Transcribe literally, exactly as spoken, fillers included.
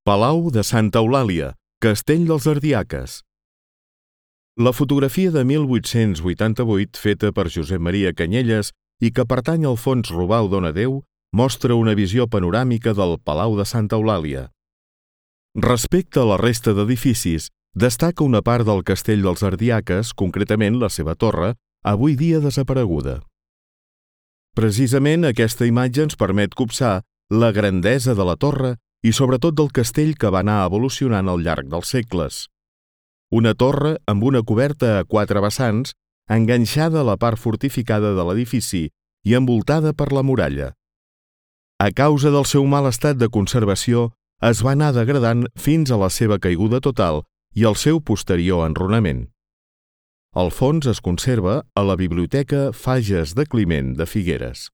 Palau de Santa Eulàlia, Castell dels Ardiaques. La fotografia de mil vuit-cents vuitanta-vuit, feta per Josep Maria Canyelles i que pertany al Fons Robau Donadeu, mostra una visió panoràmica del Palau de Santa Eulàlia. Respecte a la resta d'edificis, destaca una part del Castell dels Ardiaques, concretament la seva torre, avui dia desapareguda. Precisament aquesta imatge ens permet copsar la grandesa de la torre i sobretot del castell que va anar evolucionant al llarg dels segles. Una torre amb una coberta a quatre vessants, enganxada a la part fortificada de l'edifici i envoltada per la muralla. A causa del seu mal estat de conservació, es va anar degradant fins a la seva caiguda total i el seu posterior enrunament. El fons es conserva a la Biblioteca Fages de Climent de Figueres.